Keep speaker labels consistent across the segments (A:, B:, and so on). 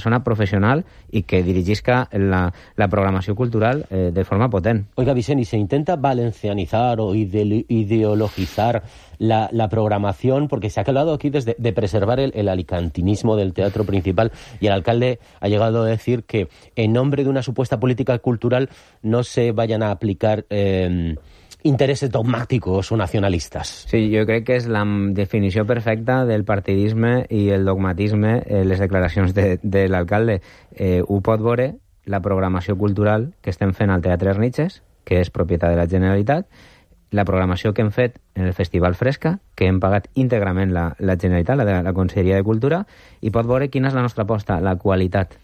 A: persona professional i que dirigisca la programació cultural de forma potent.
B: Oiga, Vicent, ¿y se intenta valencianizar o ideologizar la programación? Porque se ha hablado aquí de preservar el alicantinismo del teatro principal, y el alcalde ha llegado a decir que en nombre de una supuesta política cultural no se vayan a aplicar interessos dogmàtics o nacionalistes.
A: Sí, jo crec que és la definició perfecta del partidisme i el dogmatisme, les declaracions de l'alcalde. Ho pot veure la programació cultural que estem fent al Teatre Erniches, que és propietat de la Generalitat, la programació que hem fet en el Festival Fresca, que hem pagat íntegrament la Generalitat, la Conselleria de Cultura, i pot veure quina és la nostra aposta: la qualitat,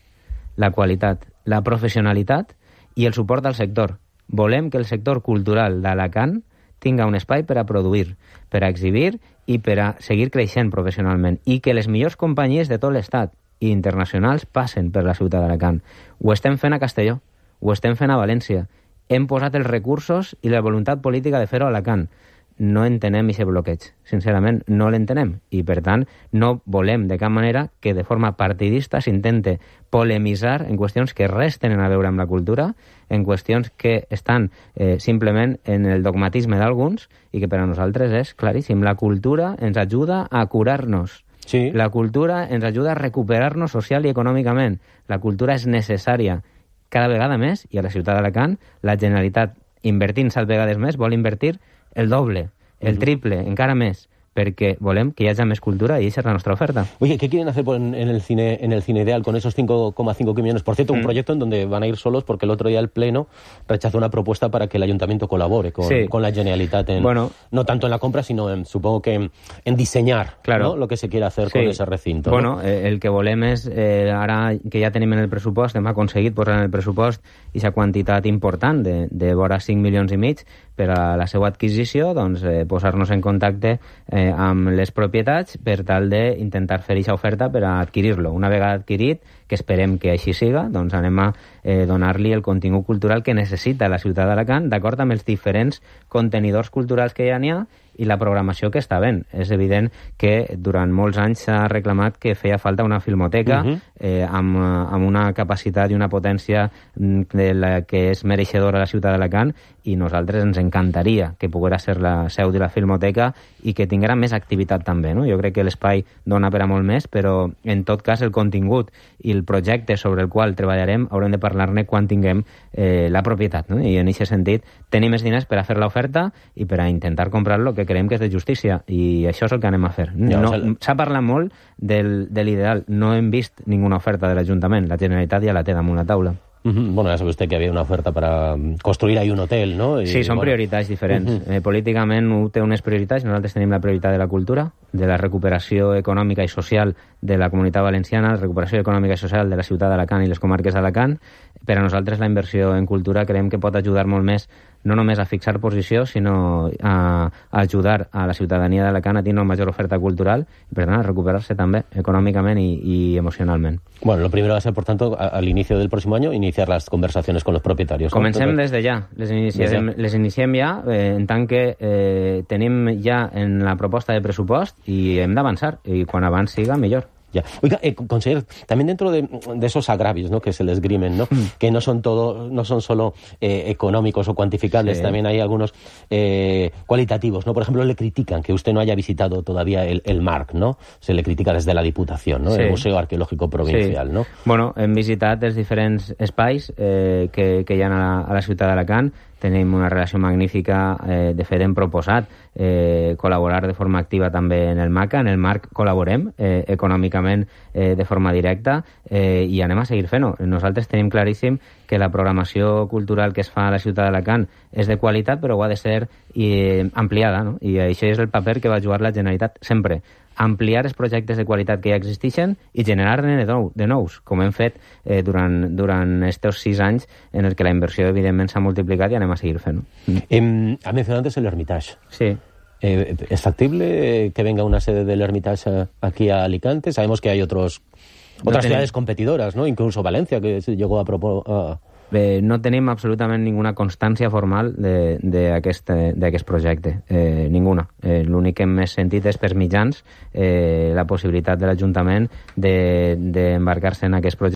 A: la professionalitat i el suport al sector. Volem que el sector cultural d'Alacant tinga un espai per a produir, per a exhibir i per a seguir creixent professionalment, i que les millors companyies de tot l'estat i internacionals passen per la ciutat d'Alacant. Ho estem fent a Castelló, ho estem fent a València. Hem posat els recursos i la voluntat política de fer-ho a Alacant. No entenem aquest bloqueig. Sincerament, no l'entenem. I, per tant, no volem de cap manera que de forma partidista s'intente polemitzar en qüestions que res tenen a veure amb la cultura, en qüestions que estan simplement en el dogmatisme d'alguns, i que per a nosaltres és claríssim. La cultura ens ajuda a curar-nos.
B: Sí.
A: La cultura ens ajuda a recuperar-nos social i econòmicament. La cultura és necessària cada vegada més, i a la ciutat d'Alacant la Generalitat, invertint 7 vegades més, vol invertir el doble, el triple, encara més, porque volem que haya más cultura y esa es la nuestra oferta.
B: Oye, ¿qué quieren hacer en el cine Ideal con esos 5,5 millones? Por cierto, un proyecto en donde van a ir solos porque el otro día el Pleno rechazó una propuesta para que el Ayuntamiento colabore con la Generalitat, no tanto en la compra, sino supongo que en diseñar,
A: claro,
B: ¿no?, lo que se quiere hacer con ese recinto.
A: Bueno, el que volem és, ara que ja tenim en el pressupost, hem aconseguit posar en el pressupost aquesta quantitat important de vora 5 milions i mig per a la seva adquisició, doncs posar-nos en contacte amb les propietats per tal d'intentar fer aquesta oferta per a adquirir-lo. Una vegada adquirit, que esperem que així siga, doncs anem a donar-li el contingut cultural que necessita la ciutat d'Alacant, d'acord amb els diferents contenidors culturals que ja n'hi ha i la programació que està ben. És evident que durant molts anys s'ha reclamat que feia falta una filmoteca amb una capacitat i una potència de la que és mereixedora la ciutat d'Alacant, i nosaltres ens encantaria que pogués ser la seu de la filmoteca i que tinguera més activitat també, no? Jo crec que l'espai dona per a molt més, però en tot cas el contingut i el projecte sobre el qual treballarem haurem de parlar-ne quan tinguem la propietat, no? I en aquest sentit tenim més diners per a fer l'oferta i per a intentar comprar-lo, que creiem que és de justícia, i això és el que anem a fer. S'ha parlat molt de l'ideal, no hem vist ninguna oferta de l'Ajuntament, la Generalitat ja la té damunt la taula.
B: Bueno, ya sabe usted que había una oferta para construir ahí un hotel, ¿no?
A: Sí, són prioritats diferents. Políticament té unes prioritats, nosaltres tenim la prioritat de la cultura, de la recuperació econòmica i social de la Comunitat Valenciana, la recuperació econòmica i social de la ciutat d'Alacant i les comarques d'Alacant. Per a nosaltres la inversió en cultura creiem que pot ajudar molt més, no només a fixar posició, sinó a ajudar a la ciutadania d'Alacant a tenir una major oferta cultural i, per tant, a recuperar-se també econòmicament i emocionalment.
B: Bueno, lo primero va a ser, por tanto, al inicio del próximo año, iniciar las conversaciones con los propietarios.
A: Comencem des de ja. Les iniciem ja, en tant que tenim ja en la proposta de pressupost i hem d'avançar, i quan abans siga, millor.
B: Ya. Oiga, conseller, también dentro de esos agravios, ¿no?, que se les esgrimen, ¿no?, que no son solo económicos o cuantificables, también hay algunos cualitativos, ¿no? Por ejemplo, le critican que usted no haya visitado todavía el MARC, ¿no? Se le critica desde la Diputación, ¿no?, el Museo Arqueológico Provincial, ¿no?
A: Bueno, hem visitat els diferents espais que hi ha a la ciutat d'Alacant. Tenim una relació magnífica, de fet hem proposat col·laborar de forma activa també en el MACA, en el MARC col·laborem econòmicament de forma directa, i anem a seguir fent-ho. Nosaltres tenim claríssim que la programació cultural que es fa a la ciutat d'Alacant és de qualitat, però ho ha de ser ampliada, no? I això és el paper que va jugar la Generalitat sempre. Ampliar els projectes de qualitat que ja existeixen i generar-ne de nous, com hem fet durant estos 6 anys en el que la inversió evidentment s'ha multiplicat, i anem a seguir fent-ho.
B: Ha mencionado antes el Hermitage.
A: Sí.
B: ¿Es factible que venga una sede del Hermitage aquí a Alicante? Sabemos que hay otras ciudades competidoras, ¿no? Incluso Valencia, que se llegó a proponer...
A: No tenim absolutament ninguna constància formal d'aquest projecte, ninguna. L'únic que hem sentit és per mitjans la possibilitat de l'Ajuntament d'embarcar-se en aquest projecte